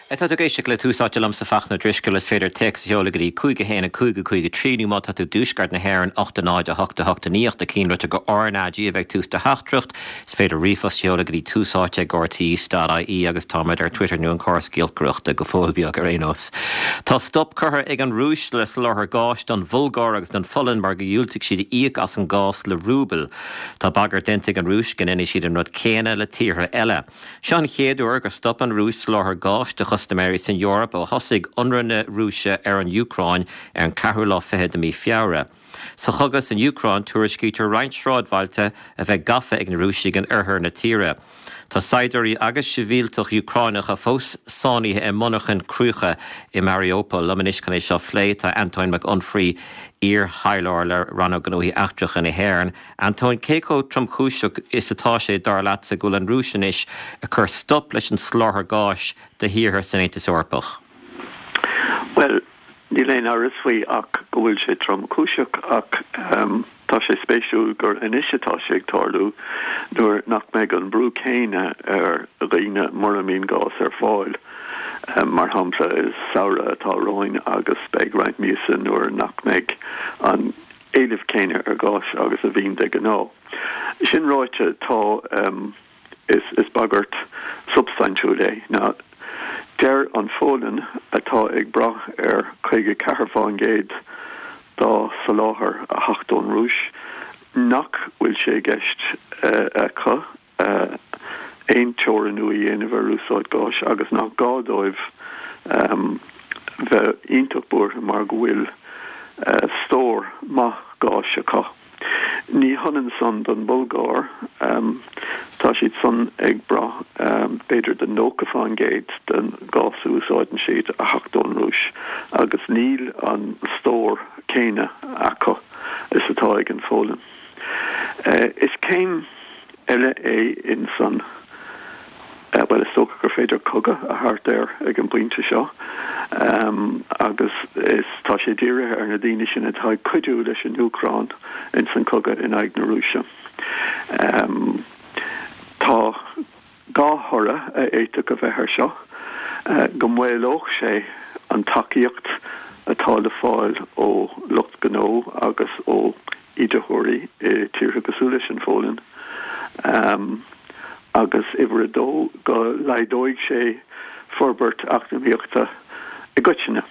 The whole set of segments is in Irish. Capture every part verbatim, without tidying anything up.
Tá tú ag éisteacht le Tús Áite liomsa Fachtna Ó Drisceoil is féidir téacs a sheoladh go dtí cúig a haon a cúig a cúig a trí nó má tá tú i dtuaisceart na hÉireann ocht a náid a hocht a hocht a naoi ocht a ceathair litir go RnaG a bheidh tús do theachtaireacht. Is féidir ríomhphost a sheoladh go dtí tús áite ag RTÉ dot IE agus táimid ar Twitter nó an córas giolcaireachta go fóill beag ar aon nós. Tá stop curtha ag an Rúis le soláthar gáis don Bhulgáir agus don Pholainn mar go dhiúltaigh siad íoc as an gás le rúbail. Tá bagairt déanta ag an Rúis go ndéanfaidh siad an rud céanna le tíortha eile. Seo an chéad uair gur stop an Rúis soláthar gáis do chustaiméirí san Eoraip ó thosaigh ionradh na Rúise ar an Úcráin ar an ceathrú lá fiche de mhí Feabhra. Sa chogadh san Úcráin tuairiscítear roinnt sráidbhailte a bheith gafa ag na Rúisigh in oirthear na tíre. Tá saighdiúirí agus sibhialtaigh Úcránacha fós sáinnithe i monarchain cruach i Mariupol. Liom anois chun é seo a phlé tá Antóin Mac Unfraidh iar-thaidhleoir le Rannóg Gnóthaí Eachtracha na hÉireann. Antóin cé chomh tromchúiseach is atá sé dar leatsa go bhfuil an Rúis anois ag cur stop leis an soláthar gáis do thíortha san Aontas Eorpach. Well, níl aon amhras faoi ach go bhfuil sé tromchúiseach ach um, tá sé spéisiúil gur anois atá sé ag tarlú nuair nach mbeidh an brú céanna ar dhaoine mura mbíonn gás ar fáil. Um, mar shampla is samhradh atá romhainn agus beidh roinnt míosa nuair nach mbeidh an éileamh céanna ar gás agus a bhíonn de ghnáth. Sin ráite tá um, is, is bagairt substaintiúil é. Ná deir an Pholainn atá ag brath ar caoga ceathair faoin gcéad dá soláthar a theacht ón Rúis nach bhfuil sé i gceist uh, acu uh, aon teorannú a dhéanamh ar úsáid gáis agus nach gá dóibh um, bheith iontach buartha mar go bhfuil uh, stór maith gáis acu. Ní hionann san don Bhulgáir um, tá siad san ag brath um, b'fhéidir de nócha faoin gcéad den gás a úsáideann siad a theacht ón Rúis agus níl an stór céanna acu is atá ag an Pholainn. Uh, is céim eile é in san uh, well is dócha gur féidir cogadh a thabhairt air ag an bpointe seo. Um, agus is tá sé dírithe ar na daoine sin atá ag cuidiú leis an Úcráin in san cogadh in aghaidh na Rúise. Um, tá dhá thoradh a fhéadfadh a bheith air seo, uh, go maolódh sé an tacaíocht atá le fáil ó lucht gnó agus ó íditheoirí i tíortha cosúil leis an Pholainn. Um, agus uimhir a dó go laghdóidh sé forbairt eacnamaíochta i gcoitinne.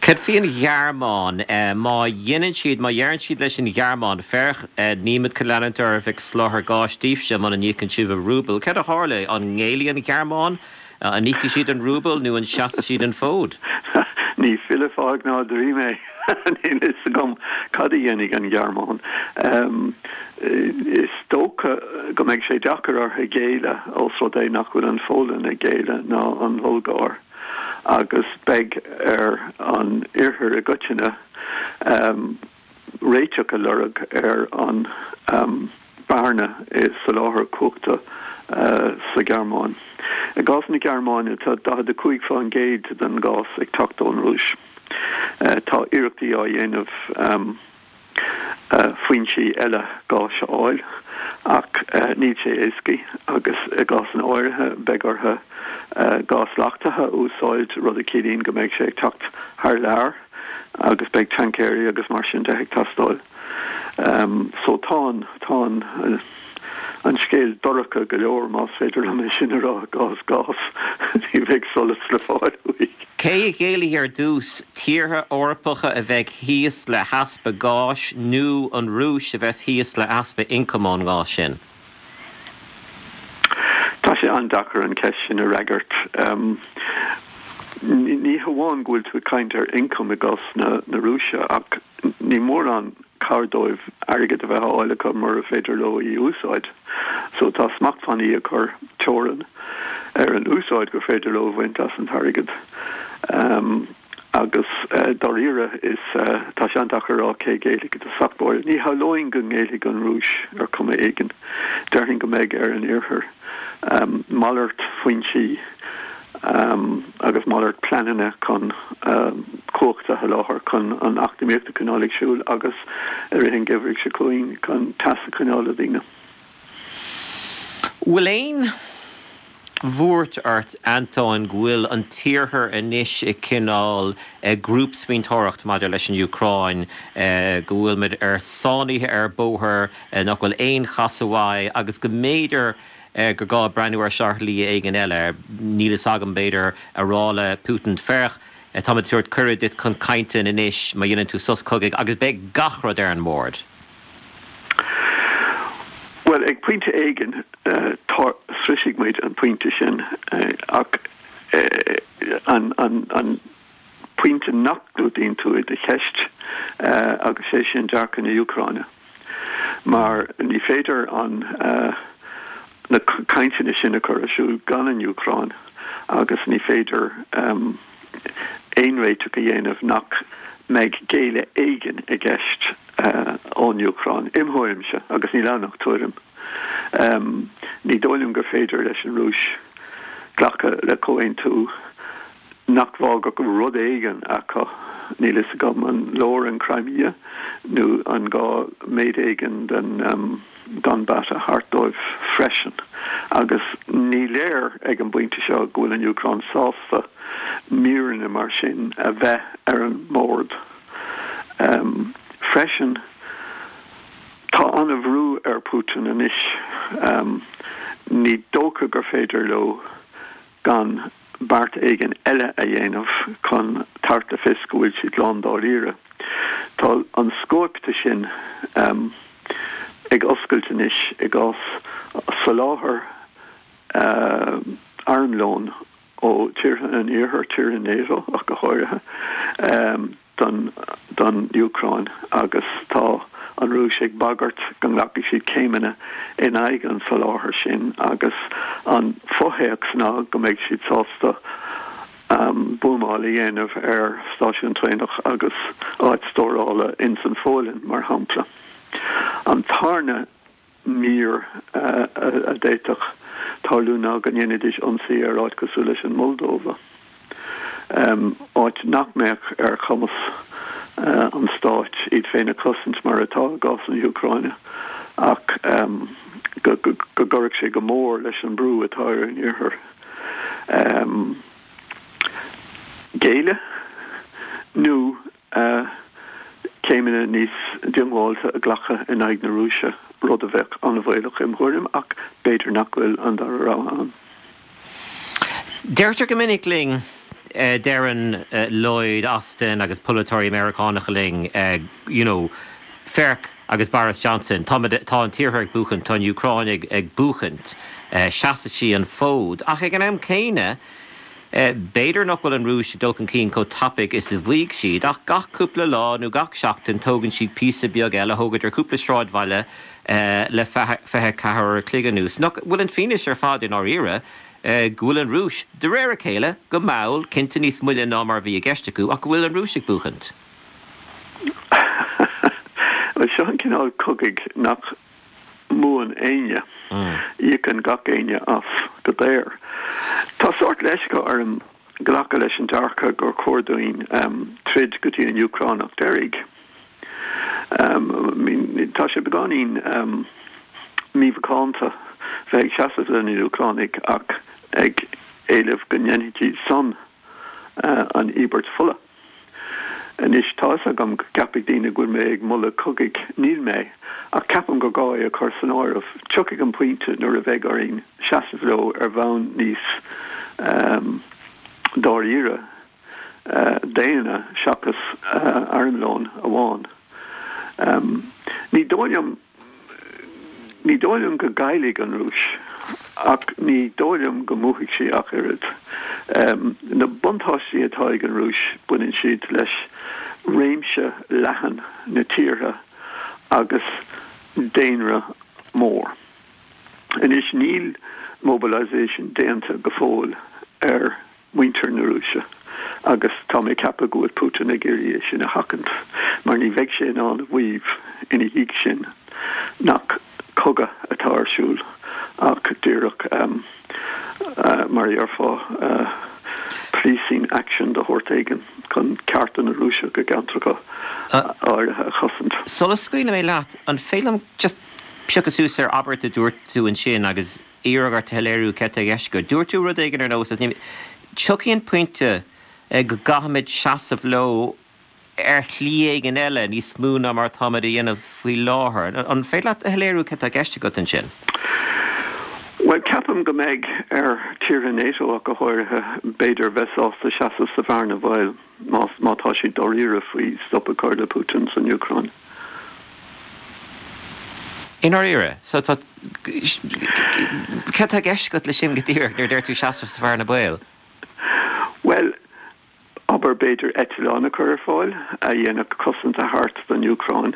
Cad faoin Ghearmáin má dhéanann siad má dheireann siad leis an Ghearmáin féach nílimid chun leanúint oraibh ag soláthar gáis daoibhse muna n-íocann sibh i rúbal. Cad a tharla an ngéillfidh an Ghearmáin an íocfaidh siad an rúbal nó an seasfaidh siad an fód? Ní file fág ná dream é Níl a fhios agam cad a dhéanfaidh an Ghearmáin. Um, is dócha go mbeidh sé deacair orthu géilleadh ós rud é nach bhfuil an Pholainn ag géilleadh ná an Bhulgáir agus beidh ar an oirthear i gcoitinne um, réiteach a lorg ar an um, bearna i soláthar cumhachta uh, sa Ghearmáin. I gcás na Gearmáine tá daichead a cúig faoin gcéad den gás ag teacht ón Rúis. Uh, tá iarrachtaí á dhéanamh um, uh, foinsí eile gáis a fháil ach uh, níl sé éasca agus i gcásanna áirithe beidh orthu uh, gás leachtaithe a úsáid rud a chiallaíonn go mbeidh sé ag teacht thar lear agus beidh tancaeirí agus mar sin de ag teastáil. Um, so tá tá uh, an scéal dorcha go leor más féidir liom é sin a rá gás gás ní bheidh solas le fáil uaidh. Cé a ghéillfidh ar dtús tíortha Eorpacha a bheidh thíos le heaspa gáis nó an Rúis a bheas thíos le heaspa ioncam ón ngás sin? Tá sé an-deacair an cheist sin a fhreagairt. Um, ní hamháin go bhfuil tú ag caint ar ioncam i gcás na, na Rúise ach ní mórán cabhair dóibh airgead a bheith á fháil acu mura féidir leo í úsáid. So tá smachtbhannaí ag cur teorann ar an úsáid gur féidir leo bhaint as an airgead. Um, agus uh, dáiríre is uh, tá sé an-deacair a rá cé ghéillfidh i dtosach báire. Ní hamhlaidh go ngéillfidh an Rúis ar chuma éigin déarfainn go mbeidh ar an oirthear um, malairt foinsí um, agus malairt pleananna chun um, cumhacht a sholáthar chun an eacnamaíocht a choinneáil ag siúl agus i rith an gheimhridh seo chugainn chun teas a choinneáil le daoine. Bhfuil aon bhuairt ort, Antóin, go bhfuil an tIarthar anois ag cineál grúpsmaointeoireacht maidir leis an Úcráin, go bhfuil muid ar sáinnithe ar bóthar nach bhfuil aon chasadh uaidh agus go mb'fhéidir gur gá breathnú ar shlí éigin eile, níl fhios agam, b'fhéidir a rá le Putin, féach, táimid ag tabhairt cuireadh duit chun cainte anois má dhéanann tú sos cogaidh agus beidh gach rud ar an mbord. Bhuel, ag pointe éigin, sroisfidh muid an pointe sin, ach an pointe nach gclúdaíonn tú i do cheist, agus sé sin dearcadh na hÚcráine, mar ní féidir an na cainteanna sin a chur ar siúl gan an Úcráin agus ní féidir aon réiteach a dhéanamh nach mbeidh géilleadh éigin i gceist ón Úcráin, im thuairimse, agus níl ann ach tuairim. Ní dóigh liom gur féidir leis an Rúis glacadh le comhaontú nach bhfágfadh rud éigin acu, níl fhios agam an leor an Crimea nó an gá méid éigin den Donbass a thabhairt dóibh freisin. Agus ní léir ag an bpointe seo go bhfuil an Úcráin sásta míreanna mar sin a bheith ar an mbord. Freisin, tá an-bhrú ar Putin anois. Ní dócha gur féidir leo gan beart éigin eile a dhéanamh chun tabhairt le fios go bhfuil siad lándáiríre. Tá an scóip de sin ag oscailt anois i gcás soláthar armlóin ó tíortha an Iarthair, tíortha NATO ach go háirithe, don don Úcráin agus tá an Rúis ag bagairt go nglacfaidh siad céimeanna in aghaidh an tsoláthair sin agus an fothéacs ná go mbeidh siad sásta buamáil a dhéanamh ar stáisiún traenach agus áit stórála ins an Pholainn, mar shampla. An tarna mír a d'fhéadfadh tarlú ná go ndéanfaidís ionsaí ar áit cosúil leis an Moldóva, áit nach mbeadh ar chumas an stáit iad féin a chosaint mar atá i gcás na hÚcráine, ach go gcuirfeadh sé go mór leis an brú atá ar an Iarthar géilleadh nó céimeanna níos diongbháilte a ghlacadh in aghaidh na Rúise, rud a bheadh an-bhaolach im thuairim, ach b'fhéidir nach bhfuil an dara rogha ann. Deirtear go minic linn, deireann Lloyd Austin agus polaiteoirí Meiriceánacha linn, you know, féach agus Boris Johnson, tá tá an tIarthar ag buachaint, tá an Úcráin ag ag buachaint, seasfaidh sí an fód. Ach ag an am céanna, B'fhéidir nach bhfuil an Rúis ag dul chun cinn chomh tapaidh is a mhaígh siad, ach gach cúpla lá nó gach seachtain tógann siad píosa beag eile, thógadar cúpla sráidbhaile le fiche a ceathair uair a chloig anuas. Nach bhfuil an fianaise ar fad i ndáiríre go bhfuil an Rúis, de réir a chéile, go mall, cinnte níos moille ná mar a bhí i gceist acu, ach go bhfuil an Rúis ag buachaint? Bhuel, seo an cineál cogaidh nach mbuann éinne. Íocann gach éinne as go daor. Tá sórt leisce orm glacadh leis an dearcadh gur chóir dúinn troid go dtí an Úcránach deiridh. Tá sé beagáinín mímhacánta bheith ag seasamh le na Úcránaigh ach ag éileamh go ndéanfaidh siad san an íobairt fola. Anois, tá fhios agam go gceapfaidh daoine go bhfuil mé ag moladh cogaidh. Níl mé, ach ceapaim gur gá é a chur san áireamh. Tiocfaidh an pointe nuair a bheidh orainn seasamh leo ar bhonn níos dáiríre, daonna, seachas armlón amháin. Ní dóigh liom. Ní dóigh liom go gcaillfidh an Rúis, ach ní dóigh liom go mbuafaidh sí ach oiread. Na buntáistí atá ag an Rúis, baineann siad leis réimse leathan na tíortha agus daonra mór. Anois, níl mobilisation déanta go fóill ar muintir na Rúise agus tá mé ag ceapadh go bhfuil Putin ag iarraidh é sin a sheachaint mar ní bheidh sé in ann a mhaíomh ina dhiaidh sin nach cogadh atá ar siúl ach díreach mar a déarfá policing action de shórt éigin chun cearta na Rúiseach i gceantracha áirithe a chosaint. Sula scaoilfidh mé leat, an féidir liom just piocadh suas ar abairt a dúirt tú ansin agus iarraidh ort a shoiléiriú céard atá i gceist agat. Dúirt tú rud éigin ar nós, tiocfaidh an pointe go gcaithfimid seasamh leo ar shlí éigin eile níos mó ná mar atáimid a dhéanamh faoi láthair. An féidir leat a shoiléiriú céard atá i gceist agat ansin? Bhuel, ceapaim go mbeidh ar tíortha NATO ach go háirithe, b'fhéidir, bheith sásta seasamh sa bhearna bhaoil más má tá siad dáiríre faoi stop a chur le Putin san Úcráin. I ndáiríre? So tá céard atá i gceist agat leis sin go díreach nuair a deir tú seasamh sa bhearna baoil? Bhuel, abair b'fhéidir eitleán a chur ar fáil a dhéanfadh cosaint a thabhairt don Úcráin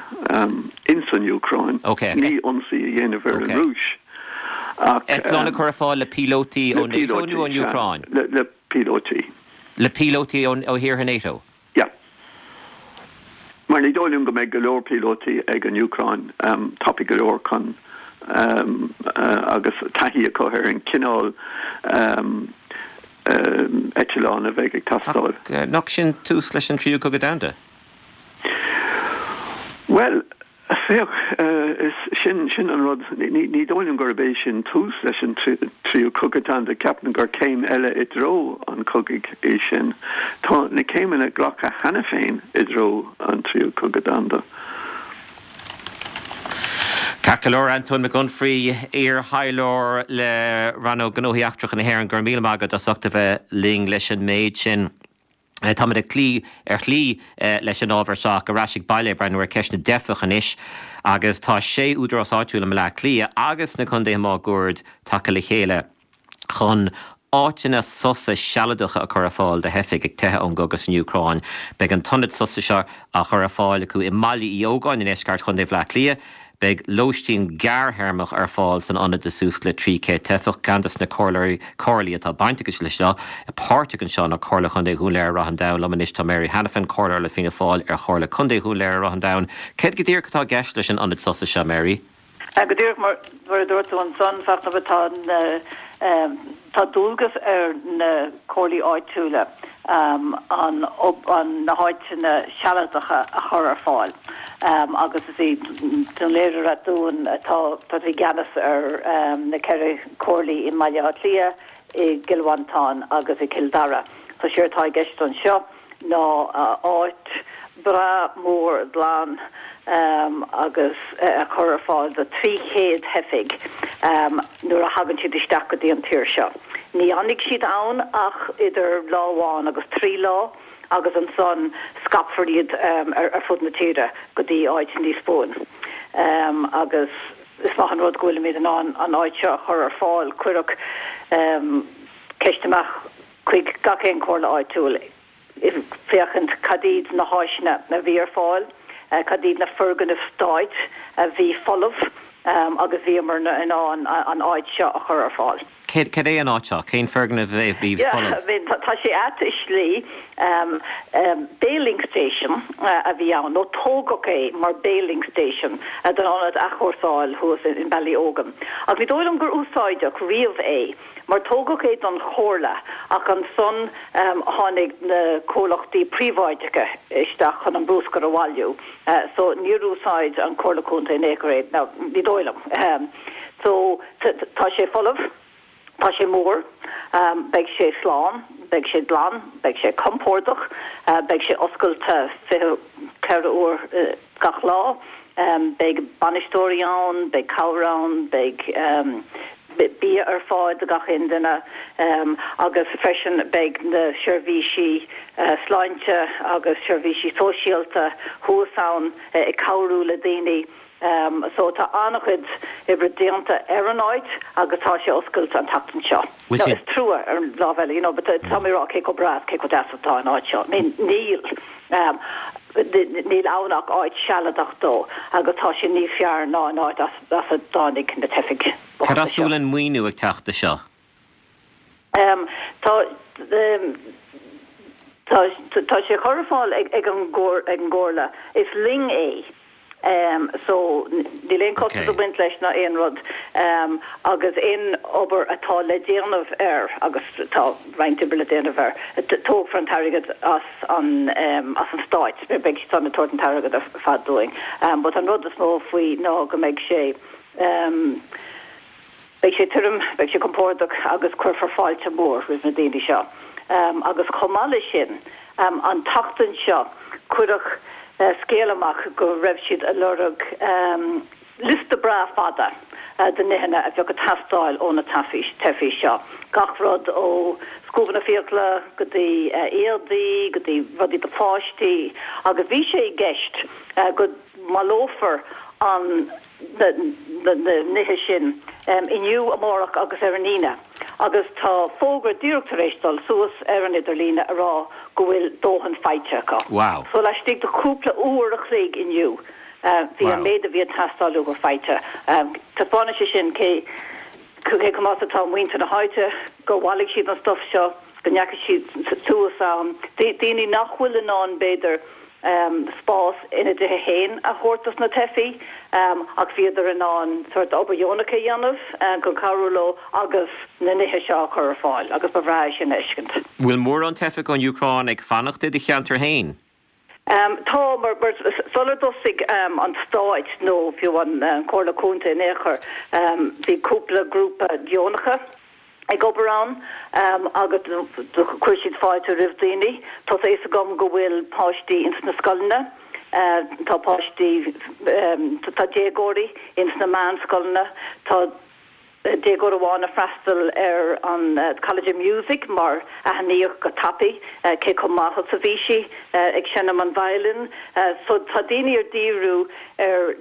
ins an Úcráin, ní ionsaí a dhéanamh ar an Rúis ach. Eitleán a chur ar fáil le píolótaí ó NATO nó ón Úcráin? Le píolótaí. Le píolótaí ó thíortha NATO? Yeah. Mar ní dóigh liom go mbeidh go leor píolótaí ag an Úcráin tapaidh go leor chun agus taithí acu ar an cineál eitleán a bheidh ag teastáil. Ach nach sin tús leis an Tríú Cogadh Domhanda? Bhuel, féach, is sin, sin an rud. Ní, ní dóigh liom gurb é sin tús leis an Tríú Cogadh Domhanda. Ceapaim gur céim eile i dtreo an chogaidh é sin. Tá na céimeanna glactha cheana féin i dtreo an Tríú Cogadh Domhanda. Ceart go leor, Antóin Mac Unfraidh, iar-thaidhleoir le Rannóg Gnóthaí Eachtracha na hÉireann, go raibh míle maith agat as ucht a bheith linn leis an méid sin. Táimid ag cloí ar shlí leis an ábhar seo ach ar ais ag baile ag breathnú ar cheist na dteifeach anois agus tá sé údarás áitiúil i mBaile Átha Cliath agus na contaetha máguaird tagtha le chéile chun áiteanna sosa sealadacha a chur ar fáil do theifigh ag teitheadh ón gcogadh san Úcráin. Beidh an t-ionad sosa seo á chur ar fáil acu i mBaile Uí Ógáin i ndeisceart Chontae Bhaile Átha Cliath. Beidh lóistín gearrthéarmach ar fáil san ionad do suas le trí chéad teifeach. Ceann de na comhairlí atá bainteach leis seo, páirteach anseo ná Comhairle Chontae Dhún Laoghaire-Ráth an Damháin. Liom anois tá Mary Hanafin, Comhairleoir le Fianna Fáil ar Chomhairle Contae Dhún Laoghaire-Ráth an Damháin. Céard go díreach atá i gceist leis an ionad sosa seo, Mary? Go díreach mar a dúirt tú ansan, Fachtna, tá tá dualgas ar na comhairlí áitiúla an na háiteanna sealadacha a chur ar fáil agus is í Dún Laoghaire-Rath Dúin atá tá i gceannas ar na ceithre comhairlí i mBaile Átha Cliath, i gCill Mhantáin agus i gCill Dara. So séard atá i gceist anseo ná áit breá mór glan agus a chur ar fáil do trí chéad theifigh nuair a thagann siad isteach go dtí an tír seo. Ní fhanfaidh siad ann ach idir lá amháin agus trí lá agus ansan scaipfear iad ar fud na tíre go dtí áit níos buaine. Agus is maith an rud go bhfuilimid in ann an áit seo a chur ar fáil. Cuireadh ceist amach chuig gach aon chomhairle áitiúil. féachaint cad iad na háiseanna a bhí ar fáil, cad iad na foirgnimh stáit a bhí folamh agus bhíomar in ann an áit seo a chur ar fáil. Cad é an áit seo? Cén foirgneamh a bhí folamh? Tá sé ait i slí. Baling station a bhí ann, nó tógadh é mar baling station don ionad athchúrsáil thuas in Ballyogan. Ach ní dóigh liom gur úsáideadh riamh é. Mar tógadh é don chomhairle ach ansan tháinig na comhlachtaí príobháideacha isteach chun an brúscar a bhailiú so níor úsáid an Comhairle Contae in aon chor é, now ní dóigh liom. So tá sé folamh, tá sé mór, beidh sé slán, beidh sé glan, beidh sé compordach, beidh sé oscailte fiche ceithre uair gach lá. Beidh bainisteoirí ann, beidh cabhair ann, beidh bia ar fáil do gach aon duine agus freisin beidh na seirbhísí sláinte agus seirbhísí sóisialta thuas ann ag cabhrú le daoine. So tá an-chuid oibre déanta ar an áit agus tá sé oscailte an tseachtain seo. Now is trua ar an lámh eile, you know, but tá mé ag rá cé chomh breá is cé chomh deas atá an áit seo. I mean níl. Níl ann ach áit sealadach dó agus tá sé níos fearr ná an áit as a dtáinig na teifigh Cad bochta as a seo. bhfuil an maoiniú ag teacht do seo? Tá tá tá sé chur ar fáil ag ag an gcomhairle. Is linn é. So níl aon costas ag baint leis ná aon rud agus aon obair atá le déanamh air, agus tá roinnt oibre le déanamh air, tógfar an t-airgead as an as an stáit, beidh siad ag tabhairt an t-airgead ar fad dúinn. But an rud is mó faoi ná go mbeidh sé Beidh sé tirim, beidh sé compordach agus cuirfear fáilte mhór roimh na daoine seo. Agus chomh maith leis sin, an tseachtain seo cuireadh scéal amach go raibh siad ag lorg liosta breá fada de nithe a bheadh ag teastáil ó na teifigh seo, gach rud ó scuabanna fiacla go dtí éadaí go dtí rudaí do pháistí agus bhí sé i gceist go mbaileofar an na nithe sin inniu, amárach agus ar an Aoine agus tá fógra díreach tar éis dul suas ar an idirlíne a rá go bhfuil dóthain faighte acu. Wow. So laistigh de chúpla uair a chloig inniu bhí an méid a bhí ag teastáil uathu faighte. Taispeánann sé sin cé cé chomh maith atá muintir na háite, gur bhailigh siad an stuif seo, go ndeachaigh siad suas ann. Daoine nach bhfuil in ann b'fhéidir spás ina dtithe féin a thabhairt dos na teifigh ach bhíodar in ann sórt obair dheonach a dhéanamh chun cabhrú leo agus na nithe seo a chur ar fáil agus ba bhreá é sin a fheiscint. Bhfuil mórán teifeach ón Úcráin ag fanacht i do cheantar féin? Tá, mar sular dtosaigh an stáit nó fiú an Chomhairle Contae in aon chor bhí cúpla grúpa deonacha ag obair ann agus do chuir siad fáilte roimh daoine. Tá a fhios agam go bhfuil páistí ins na scoileanna, tá páistí, tá déagóirí ins na meánscoileanna, tá déagóir amháin ag freastal ar an College of Music mar aithníodh go tapaidh cé chomh maith is a bhí sí ag seinm an violin. So tá daoine ag díriú ar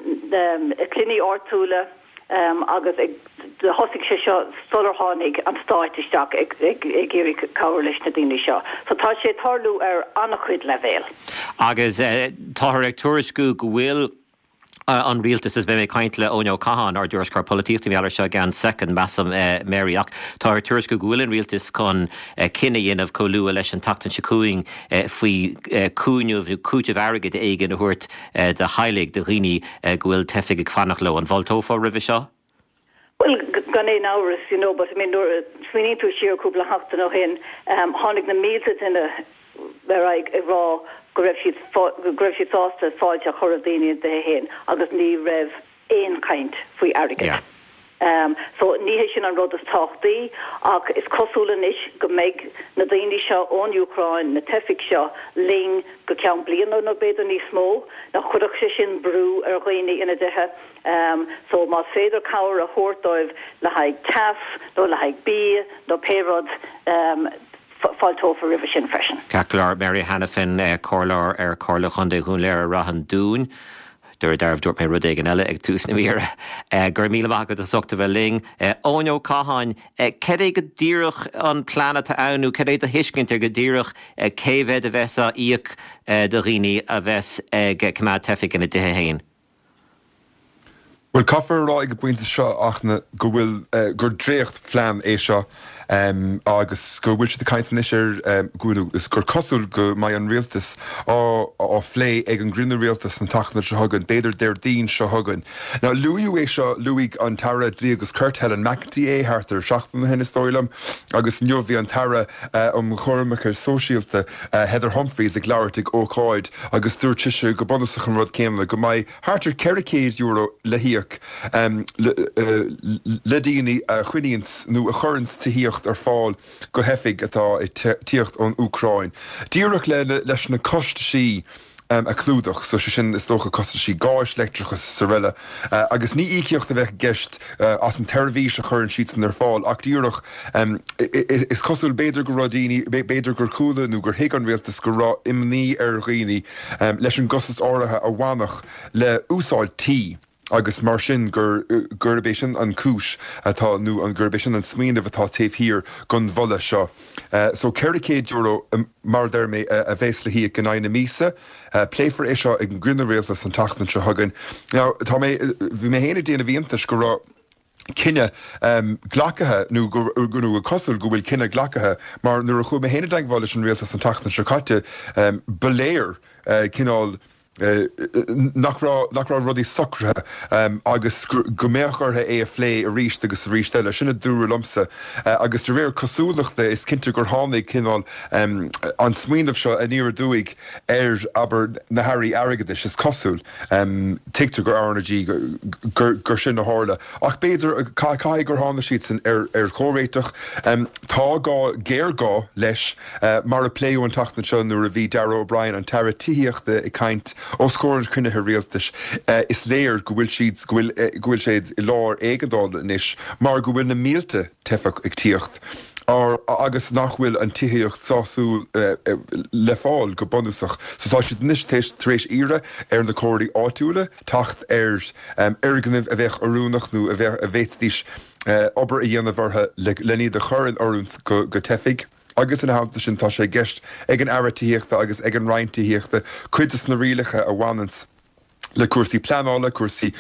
cluichí áitiúla, agus ag thosaigh sé seo sular tháinig an stáit isteach ag iarraidh cabhrú leis na daoine seo. So tá sé ag tarlú ar an-chuid leibhéal. Agus táthar ag tuairisciú go bhfuil an rialtas, is beidh mé ag caint le Eoin Ó Catháin, ár dtuairisceoir polaitíochta, mar gheall air seo i gceann soicind, measaim, Mary, ach táthar ag tuairisciú go bhfuil an rialtas chun cinneadh a dhéanamh chomh luath leis an tseachtain seo chugainn faoi chúnamh nó cúiteamh airgid éigin a thabhairt do theaghlaigh, do dhaoine go bhfuil teifigh ag fanacht leo. An bhfáilteofá roimhe seo? Bhuel, gan aon amhras, you know, but I mean nuair a smaoiníonn tú siar cúpla seachtain ó shin, tháinig na mílte duine ar aghaidh ag rá go raibh siad go raibh siad sásta fáilte a chur roimh daoine ina dtithe féin agus ní raibh aon chaint faoi airgead. Yeah. So ní hé sin an rud is tábhachtaí ach is cosúil anois go mbeidh na daoine seo ón Úcráin, na teifigh seo, linn go ceann bliana nó b'fhéidir níos mó. Nach gcuirfeadh sé sin brú ar dhaoine ina dtithe? So más féidir cabhair a thabhairt dóibh le haghaidh teas nó le haghaidh bia nó pé rud, fáilteofar roimhe sin freisin. Ceart go leor, Mary Hanafin, Comhairleoir ar Chomhairle Chontae Dhún Laoghaire Rath an Dúin. Dúradh dearbh dúirt mé rud éigin eile ag tús na míre. Go raibh míle maith agat as ucht a bheith linn. Eoin Ó Catháin, cad é go díreach an plean atá ann nó cad é do thuiscint ar go díreach cé mhéad a bheas á íoc do dhaoine a bheas ag coimeád teifigh ina dtithe féin? Bhuel, caithfear a rá ag an bpointe seo ach na go bhfuil gur dréachtphlean é seo agus go bhfuil siad ag caint anois ar go is gur cosúil go mbeidh an rialtas á á phlé ag an gcruinniú rialtais an tseachtain seo chugainn, b'fhéidir Déardaoin seo chugainn. Now luaíodh é seo, luaigh an tAire Dlí agus Cirt Helen McEntee é thart ar seachtain ó shin is dóigh liom agus inniu bhí an tAire um Choimirce Sóisialta Heather Humphreys ag labhairt ag ócáid agus dúirt sise go bunúsach an rud céanna, go mbeidh thart ar ceithre chéad euro le híoc le daoine a choinníonns nó a chuireanns tithíocht ar fáil do theifigh atá ag tíocht ón Úcráin, díreach leis na costaisí a chlúdach, so sé sin is dócha costaisí gáis, leictreachas is araile. Agus ní íocaíocht a bheadh i gceist as an tseirbhís a chuireann siadsan ar fáil ach díreach is cosúil b'fhéidir go raibh daoine, b'fhéidir gur chuala nó gur thuig an rialtas go raibh imní ar dhaoine leis an gcostas áirithe a bhainfeadh le úsáid tí agus mar sin gur gurb é sin an cúis atá nó an gurb é sin an smaoineamh atá taobh thiar den mholadh seo. So ceithre chéad euro mar a deir mé a bheas le híoc in aghaidh na míosa. Pléifear é seo ag an gcruinniú rialtais an tseachtain seo chugainn. Now tá mé bhí mé féin ag déanamh iontais go raibh cinneadh glactha nó go nó cosúil go bhfuil cinneadh glactha mar nuair a chuaigh mé féin i dteagmháil leis an rialtas an tseachtain seo caite ba léir cineál nach raibh nach raibh rudaí socraithe agus go mbeadh orthu é a phlé arís agus arís eile. Sin a dúradh liomsa agus de réir cosúlachta is cinnte gur tháinig cineál an smaoineamh seo aniar aduaidh ar abair na hairí airgeadais is cosúil. Tuigtear gur R na G gur sin a tharla. Ach b'fhéidir caithfidh gur tháinig siadsan ar ar chomhréiteach. Tá gá géarghá leis mar a pléadh an tseachtain seo nuair a bhí Darragh O'Brien an tAire Tithíochta ag caint os comhair an chruinnithe rialtais is léir go bhfuil siad go bhfuil go bhfuil siad i lár éigeandála anois mar go bhfuil na mílte teifeach ag tíocht agus nach bhfuil an tithíocht sásúil le fáil go bunúsach. So tá siad anois tar éis iarraidh ar na comhairlí áitiúla teacht ar fhoirgnimh a bheadh oiriúnach nó a bheadh a bhféadfaidís obair a dhéanamh orthu le iad a chur in oiriúint go teifigh. Agus ina theannta sin tá sé i gceist ag an Aire Tithíochta agus ag an Roinn Tithíochta cuid de na rialacha a bhaineanns le cúrsaí pleanála, cúrsaí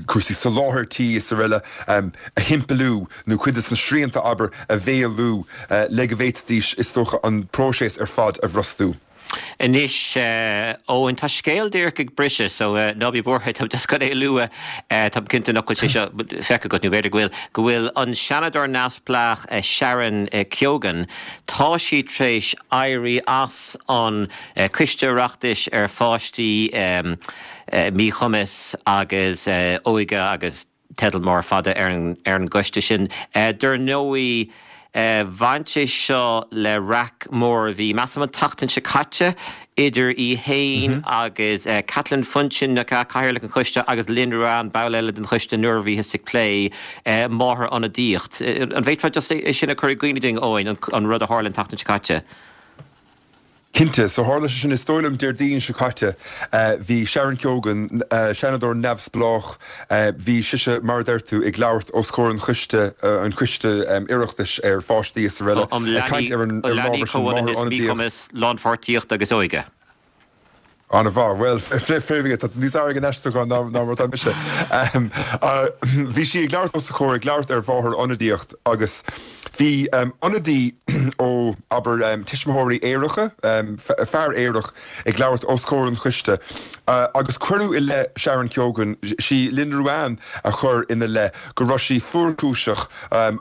cúrsaí soláthair tí is araile a shimpliú nó cuid de na srianta abair a mhaolú le go bhféadfaidís is dócha an próiseas ar fad a bhrostú. Anois Eoin tá scéal díreach ag briseadh so ná bí buartha tá just chun é a lua tá cinnte nach bhfuil sé seo feicthe agat nó b'fhéidir go bhfuil go bhfuil an seanadóir neamhspleách Sharon Keoghan tá sí tar éis éirí as an Coiste Oireachtais ar pháistí míchumas agus óige agus teideal mór fada ar an ar an gcoiste sin. Dar ndóigh bhain sé seo le raic mór a bhí measaim an tseachtain seo caite idir í héin agus Kathleen Funchion na cathaoirleach an choiste agus Lynn Ruane ball eile den choiste nuair a bhíothas ag plé máthair-ionadaíocht. An bhféadfá just é sin a chur i gcuimhne dúinn Eoin an rud a tharla an tseachtain seo caite? Cinnte, so tharla sé sin is dóigh liom Déardaoin seo caite bhí Sharon Keoghan seanadóir neamhspleách bhí sise mar a deir tú ag labhairt os comhair an choiste an choiste Oireachtais ar pháistí is araile ag caint ar an ábhar sin máthair-ionadaíocht. Lánpháirtíocht agus óige. An-mhaith well tá níos fearr ag an aistriúchán ná ná mar atá mise. Bhí sí ag labhairt os a chomhair ag labhairt ar mháthair-ionadaíocht agus bhí ionadaí ó abair tuismitheoirí aeracha fear aerach ag labhairt os comhair an choiste agus cuireadh i leith Sharon Keoghan sí Lynn Ruane a chuir ina leith go raibh sí fuarchúiseach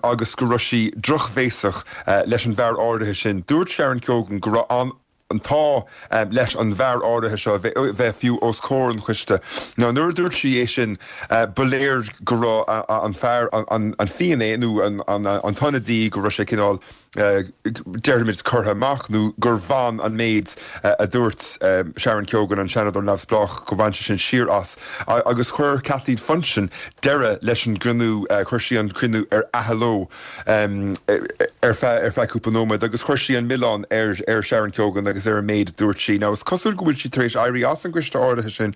agus go raibh sí drochbhéasach leis an bhfear áirithe sin. Dúirt Sharon Keoghan go raibh an an t-ádh leis an bhfear áirithe seo bheith fiú os comhair an choiste. Now nuair a dúirt sí é sin ba léir go raibh an fear an finné nó an t-ionadaí go raibh sé cineál déarfaimid curtha amach nó gur bhain an méid a dúirt Sharon Keoghan an seanadóir neamhspleách go bhain sé sin siar as agus chuir Kathleen Funchion deireadh leis an gcruinniú chuir sí an cruinniú ar athló ar feadh ar feadh cúpla nóiméad agus chuir sí an milleán ar ar Sharon Keoghan agus ar an méid a dúirt sí. Now is cosúil go bhfuil sí tar éis éirí as an gcoiste áirithe sin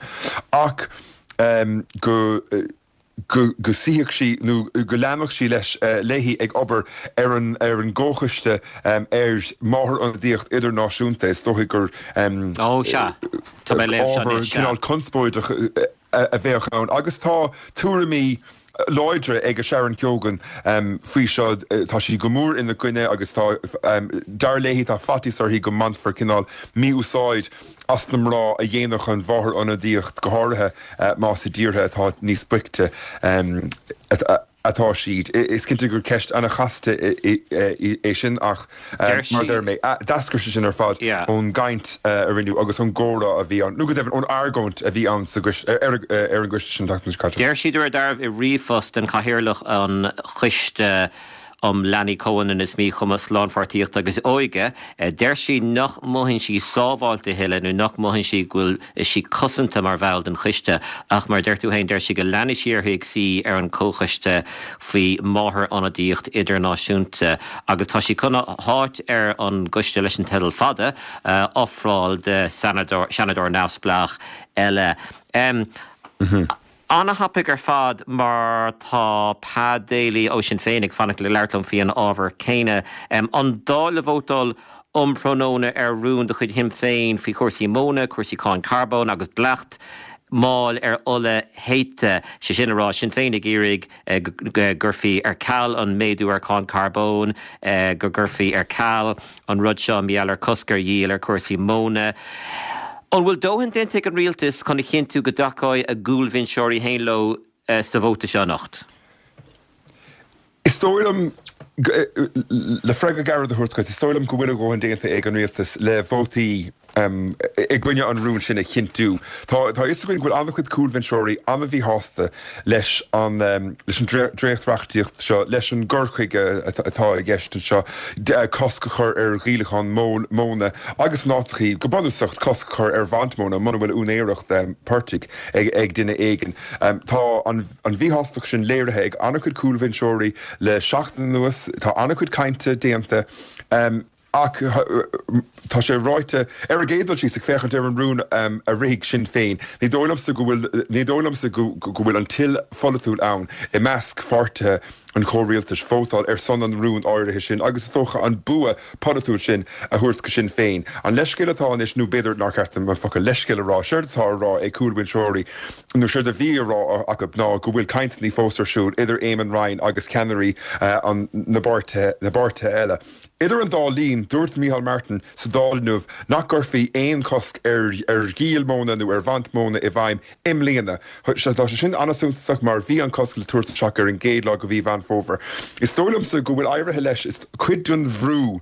ach um, go go go suífeadh sí nó go leanfadh sí leis uh, léi ag obair ar an ar an gcomhchoiste um, ar máthair-ionadaíocht idirnáisiúnta is dóigh gur um, Ó sea Tá mé léamh seo ábhar anois, sea. cineál conspóideach a a bheadh ann agus tá tuairimí láidre ag a Sharon Keoghan um, faoi seo tá sí go mór ina coinne agus tá um, dar léi tá faitíos uirthi go mbainfear cineál mí-úsáid as na mná a dhéanfadh an mháthair-ionadaíocht go háirithe uh, más i dtíortha atá níos boichte um, atá siad. Is cinnte gur ceist an-chasta é sin ach mar deir mé d'eascair sé sin ar fad ón gcaint a rinneadh agus ón gcomhrá a bhí ann, nó go deimhin ón argóint a bhí ann ar an gcoiste sin. Deir sí ar darbh i ríomhphost den chathaoirleach an choiste um leanaí comhionannas míchumas lánpháirtíocht agus óige, deir sí nach mothaíonn sí sábháilte a thuilleadh nó nach mothaíonn sí go bhfuil sí cosanta mar bhall den choiste ach mar deir tú féin deir sí go leanfaidh sí uirthi ag suí ar an comhchoiste faoi máthair-ionadaíocht idirnáisiúnta agus tá sí chun a háit ar an gcoiste leis an teideal fada a ofráil do seanadóir neamhspleách eile. Um, mm -hmm. An-thapaidh ar fad mar tá Pa Daly ó Sinn Féin ag fanacht le labhairt liom faoin ábhar céanna. Um, an Dáil le vótáil um thráthnóna ar rún de chuid Shinn Féin faoi chúrsaí móna, cúrsaí cáin carbóin agus dleacht máil ar ola théite sé sin a rá Sinn Féin ag iarraidh go gcuirfí ar ceal an méadú ar cháin carbóin, go gcuirfí ar ceal an rud seo mar gheall ar cosc ar dhíol ar chúrsaí móna. An bhfuil dóthain déanta ag an rialtas chun a chinntiú go dtacóidh a gcúlbhinseoirí féin leo sa vóta seo anocht? Is dóigh liom, le freagra gairid a thabhairt duit, is dóigh liom go bhfuil a dhóthain déanta ag an rialtas le vótaí i gcoinne an rúin sin a chinntiú. Tá a fhios againn go bhfuil an-chuid cúlbhinseoirí an-mhíshásta leis an leis an dréacht-reachtaíocht seo, leis an gcur chuige atá i gceist anseo, cosc a chur ar dhíolachán móna agus in áiteachaí, go bunúsach, cosc a chur ar bhaint móna muna bhfuil úinéireacht portaigh ag duine éigin. Tá an mhíshástacht sin léirithe ag an-chuid cúlbhinseoirí le seachtain anuas. Tá an-chuid cainte déanta. Ach tá sé ráite, ar an gcéad dul síos, ag féachaint ar an rún a rithfidh Sinn Féin, ní dóigh liomsa go bhfuil, ní dóigh liomsa go bhfuil an toil pholaitiúil ann i measc pháirtithe an chomhrialtais vótáil ar son an rúin áirithe sin agus is dócha an bua polaitiúil sin a thabhairt go Sinn Féin. An leithscéal atá anois, nó b'fhéidir nár cheart dom an focal leithscéal a rá, séard atá á rá ag cúlbhinseoirí, nó séard a bhí á rá acu ná go bhfuil cainteanna fós ar siúl idir Éamon Ryan agus ceannairí na bpáirtithe eile. Idir an dá linn, dúirt Micheál Martin sa Dáil inniu nach gcuirfí aon chosc ar dhíol móna nó ar bhaint móna i bhfeidhm i mbliana. Tá sé sin an-suntasach mar bhí an cosc le tabhairt isteach ar an gcéad lá de mhí Mheán Fómhair. Is dóigh liomsa go bhfuil éirithe leis, is cuid den bhrú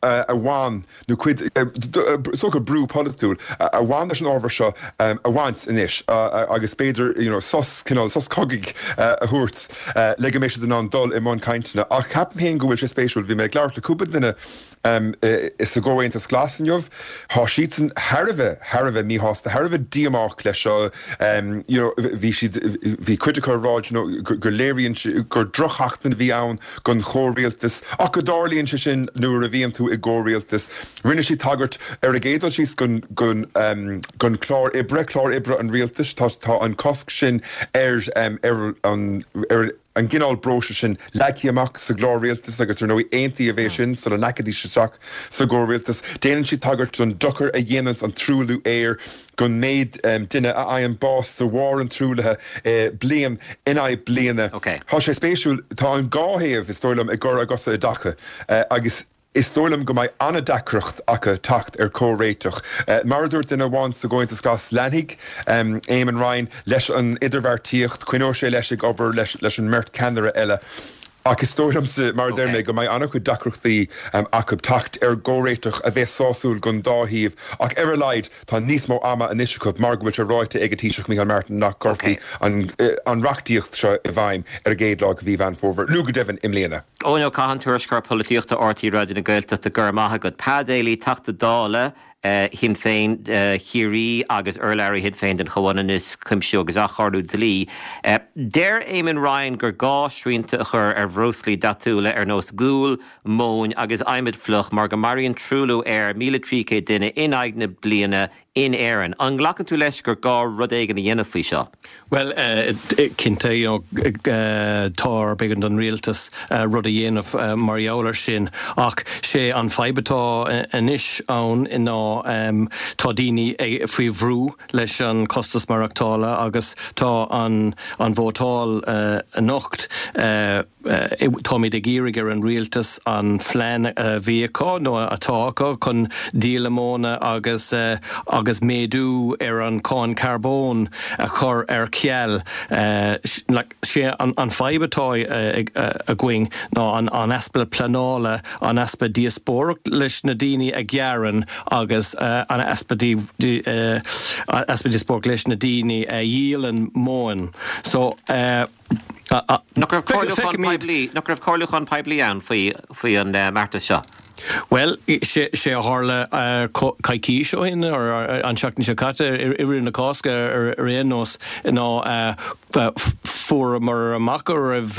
a bhain, nó cuid, is dócha brú polaitiúil a bhain leis an ábhar seo a bhaint anois agus b'fhéidir you know sos, cineál sos cogaidh a thabhairt le go mbeidh siad in ann dul i mbun cainteanna. Ach ceapaim féin go bhfuil sé spéisiúil, bhí mé ag labhairt le cúpla duine sa gComhaontas Glas inniu, tá siadsan thar a bheith, thar a bheith míshásta, thar a bheith díomách leis seo, you know bhí siad, bhí cuid acu ag rá you know go léiríonn sé gur drochsheachtain a bhí ann don chomhrialtas ach go dtarlaíonn sé sin nuair a bhíonn tú i gcomhrialtas. Rinne siad tagairt ar an gcéad dul síos don chlár oibre, clár oibre an rialtais, tá tá an cosc sin ar ar an ar an gcineál breosla sin leagtha amach sa gclár rialtais agus ar ndóigh aontaíodh é sin sula ndeachaidís isteach sa gcomhrialtas. Déanann siad tagairt don dochar a dhéananns an truailliú aeir, don méid duine a fhaigheann bás de bharr an truaillithe bliain in aghaidh bliana. Tá sé spéisiúil, tá an dhá thaobh, is dóigh liom, ag cur a gcosa i dtaca agus is dóigh liom go mbeidh an-deacracht acu teacht ar chomhréiteach. Mar a dúirt duine amháin sa gComhaontas Glas, leanfaidh Éamon Ryan leis an idirbheartaíocht, coinneoidh sé leis ag obair leis an mbeirt cheannaire eile. Ach is dóigh liomsa, mar a deir mé, go mbeidh an-chuid deacrachtaí acu teacht ar chomhréiteach a bheas sásúil don dá thaobh. Ach ar a laghad, tá níos mó ama anois acu mar go bhfuil sé ráite ag an Taoiseach Micheál Martin nach gcuirfí an reachtaíocht seo i bhfeidhm ar an gcéad lá de mhí Mheán Fómhair, nó go deimhin i mbliana. Eoin Ó Catháin, Tuairisceoir Polaitíochta RTÉ Raidió na Gaeltachta, Go raibh maith agat. Pa Daly, Teachta Dála Shinn Féin Chiarraí agus urlabhraí Shinn Féin don Chomhionannas, Cuimsiú agus Athchóiriú Dlí. Deir Éamon Ryan gur gá srianta a chur ar bhreoslaí dathúla ar nós gual, móin agus adhmad fliuch mar go maraíonn truailliú aeir míle trí chéad duine in aghaidh na bliana in Éirinn. An nglacann tú leis gur gá rud éigin a dhéanamh faoi seo? Bhuel, cinnte, you know, tá, b'éigean don rialtas rud a dhéanamh mar gheall air sin. Ach sé an fadhb atá anois ann ná tá daoine faoi bhrú leis an costas maireachtála agus tá an an vótáil anocht, Táimid ag iarraidh ar an rialtas an phlean a bhí acu nó atá acu chun díola móna agus agus méadú ar an cháin carbóin a chur ar ceal. Sé an fadhb atá againn ná an easpa pleanála, an easpa díospóireacht leis na daoine a ghearrann agus an easpa easpa díospóireacht leis na daoine a dhíolann móin. So. Nach raibh comhairliúchán poiblí, nach raibh comhairliúchán poiblí ann faoi, faoi an mbeartas seo? Bhuel, sé, sé a tharla coicís ó shin, an tseachtain seo caite, i rith na Cásca ar aon nós, ná fuaireamar amach go raibh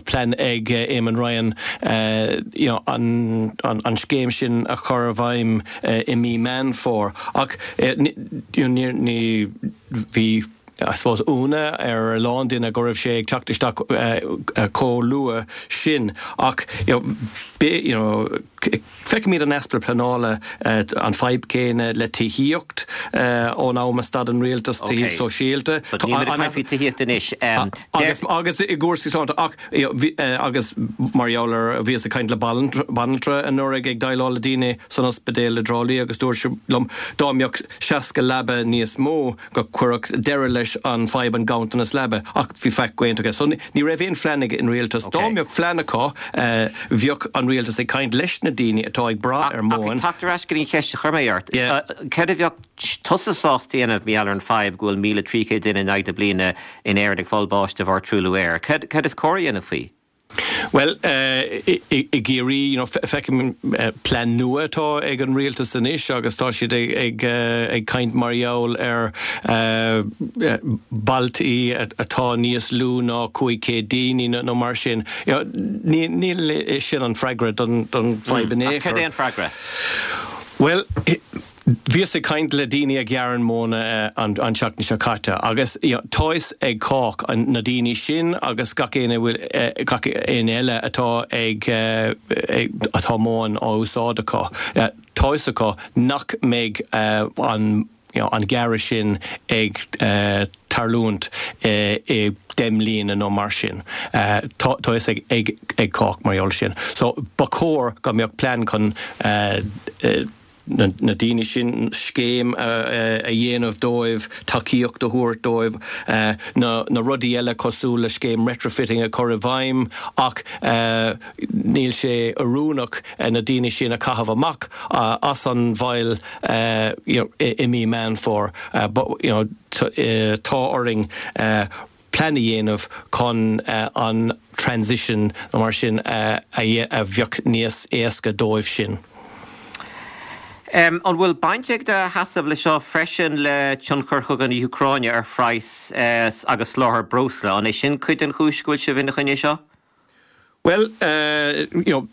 plean ag Eamon Ryan you know, an, an, an scéim sin a chur i bhfeidhm i mí Meán Fómhair. Ach you know, ní, ní, bhí I suppose ionadh ar a lán duine go raibh sé ag teacht isteach chomh luath sin ach you know, you know, Feicimid an easpa pleanála, an fadhb céanna le tithíocht ón am a stad an rialtas tithíocht sóisialta. But níl muid ag caint faoi tithíocht anois. Agus agus i gcúrsaí sláinte ach agus mar gheall ar bhíos ag caint le banaltra anuraidh ag déileáil le daoine san ospidéal i dTrá Lí agus dúirt sí liom dá mbeadh seasca leaba níos mó go gcuirfeadh deireadh leis an fadhb an ganntanas leaba ach bhí faic déanta aige. So ní raibh aon phlean ag an rialtas. Dá mbeadh plean acu bheadh an rialtas ag caint leis na daoine atá ag brath ar mhóin. Ach ag teacht ar ais go dtí an cheist a chuir mé ort, céard a bheadh tusa sásta a dhéanamh mar gheall ar an fadhb go bhfuil míle trí chéad duine in aghaidh na bliana in Éirinn ag fáil bháis de bharr truailliú aeir? Céard is cóir a dhéanamh faoi? Bhuel, i gCiarraí, you know, feicim plean nua atá ag an rialtas anois agus tá siad ag ag caint mar gheall ar bailtí atá níos lú ná cúig chéad daoine nó mar sin. Níl sin an freagra don fadhb in aon chor. Ach cad é an freagra? Bhuel, bhíos ag caint le daoine a ghearrann móna an tseachtain seo caite agus tá a fhios ag cách, na daoine sin agus gach éinne gach éinne eile atá ag atá móin á úsáid acu, tá a fhios acu nach mbeidh an an gearradh sin ag tarlúint i deich mbliana nó mar sin. Tá a fhios ag cách mar gheall sin. So ba chóir go mbeadh plean chun na daoine sin, scéim a dhéanamh dóibh, tacaíocht a thabhairt dóibh, na rudaí eile cosúil le scéim retrofitting a chur i bhfeidhm ach níl sé oiriúnach na daoine sin a chaitheamh amach as an bhaile i mí Meán Fómhair. Tá orainn plean a dhéanamh chun an transition nó mar sin a bheadh níos éasca dóibh sin. An bhfuil baint ag do sheasamh le seo freisin le tionchar chogadh na hÚcráine ar phraghas agus soláthar breosla? An é sin cuid den chúis go bhfuil sibh ina choinne seo? Bhuel, you know,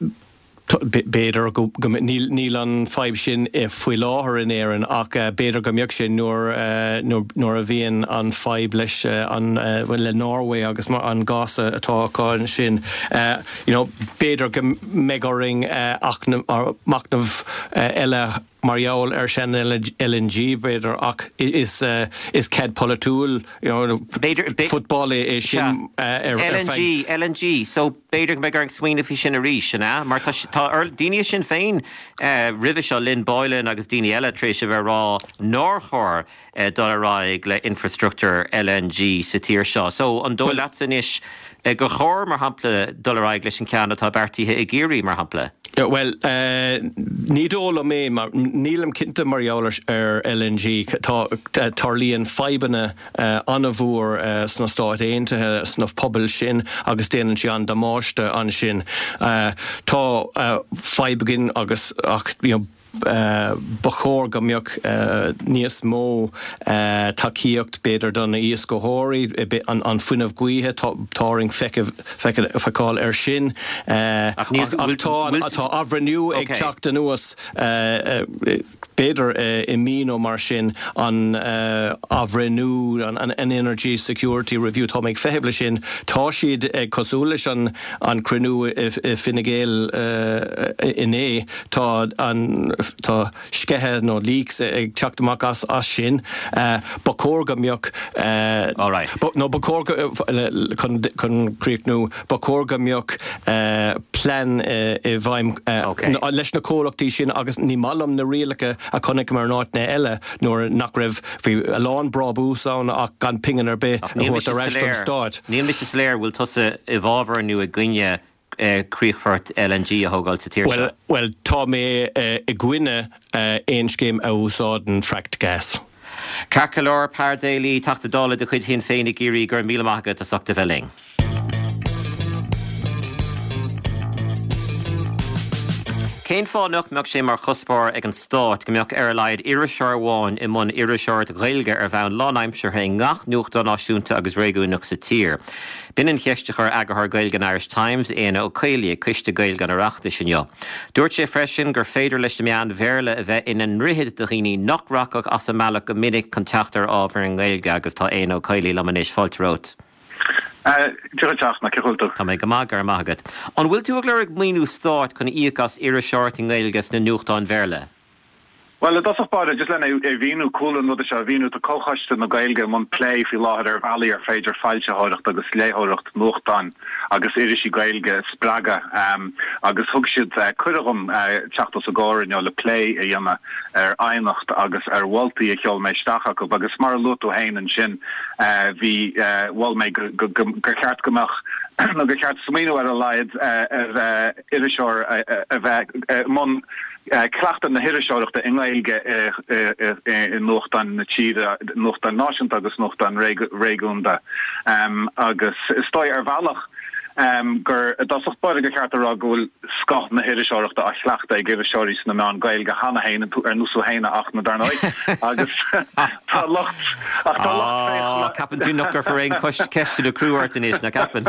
b'fhéidir go, níl an fadhb sin faoi láthair in Éirinn ach b'fhéidir go mbeadh sé nuair, nuair a bhíonn an fadhb leis an, le Norway agus an gás atá acu ansin. You know, b'fhéidir go mbeidh orainn machnamh eile mar gheall ar sin L N G b'fhéidir ach is is cead polaitiúil you know, football é sin ar L N G L N G so b'fhéidir go mbeidh orainn smaoineamh faoi sin arís an ea? Mar tá tá daoine Sinn Féin roimhe seo Lynn Boylan agus daoine eile tar éis a bheith rá nár chóir dul ar aghaidh le infrastructure L N G sa tír seo. So an dóigh leatsa anois gur chóir mar shampla dul ar aghaidh leis an ceann atá beartaithe i gCiarraí mar shampla? Bhuel, ní dóigh liom é mar nílim cinnte mar gheall ar L N G. Tá tarlaíonn fadhbanna an-mhór sna Stáit Aontaithe sna pobail sin agus déanann sé an damáiste ansin. Tá fadhb againn agus ach you know, ba chóir go mbeadh níos mó tacaíocht b'fhéidir do na hiascaitheoirí an fuinneamh gaoithe tá orainn feiceáil ar sin. Ach tá athbhreithniú ag teacht anuas b'fhéidir i mí nó mar sin an athbhreithniú an Energy Security Review tá mé ag feitheamh leis sin tá siad ag cosúil leis an an cruinniú i Fine Gael inné tá an tá sceitheadh nó leaks ag teacht amach as as sin ba chóir go mbeadh nó ba chóir chun chun críochnú ba chóir go mbeadh plean i bhfeidhm leis na comhlachtaí sin agus ní maith liom na rialacha a chonaic mar in áiteanna eile nuair nach raibh bhí a lán brabús ann ach gan pingin ar bith a thabhairt ar ais don stát. Níl mise soiléir bhfuil tusa i bhfabhar nó i gcoinne críochfort L N G a thógáil sa tír seo? Well tá mé i gcoinne aon scéim a úsáideann fracked gas. Ceart go leor Peadar Daly, Teachta Dála de chuid Shinn Féin i gCiarraí, go raibh míle maith agat as ucht a bheith linn. Cén fáth nach mbeadh sé mar chuspóir ag an Stát go mbeadh ar a laghad iriseoir amháin i mbun iriseoireacht Ghaeilge ar bhonn lánaimseartha i ngach nuachtán náisiúnta agus réigiúnach sa tír? B'in an cheist a chuir eagarthóir Gaeilge an Irish Times, Éanna Ó Caollaí, ag Coiste Gaeilge an Oireachtais inniu. Dúirt sé freisin gur féidir leis na meáin Bhéarla a bheith ina ndroichead do dhaoine nach rachadh as a mbealach go minic chun teacht ar ábhar i nGaeilge agus tá Éanna Ó Caollaí liom anois. Fáilte romhat. Dia dhuit a Fhachtna, cén chaoi a bhfuil tú? Tá mé go maith, go raibh maith agat. An bhfuil tú ag lorg maoiniú stáit chun íoc as iriseoireacht i nGaeilge sna nuachtáin Bhéarla? Bhuel, i dtosach báire, just lena é mhíniú, cúlra an ruda seo a mhíniú, tá Comhchoiste na Gaeilge i mbun plé faoi láthair ar bhealaí ar féidir foilsitheoireacht agus léitheoireacht nuachtán agus irisí Gaeilge a spreagadh agus thug siad cuireadh dhom teacht os a gcomhair inniu le plé a dhéanamh ar aighneacht agus ar mholtaí a sheol mé isteach acu agus mar a luaigh tú féin ansin bhí mhol mé gur cheart go mbeadh nó gur cheart smaoineamh ar a laghad ar iriseoir a bheith i mbun cleachtadh na hiriseoireachta i nGaeilge i nuachtáin na tíre, nuachtáin náisiúnta agus nuachtáin réigiúnda. Agus is dóigh ar bhealach gur i dtosach báire gur cheart a rá go bhfuil scoth na hiriseoireachta á chleachtadh ag iriseoirí sna meáin Ghaeilge cheana féin, ar nós tú féin a Fhachtna, dar ndóigh, agus tá lucht ach tá lucht féachana. Ceapann tú nach gcuirfear aon ceisteanna crua ort anois, nach gceapann?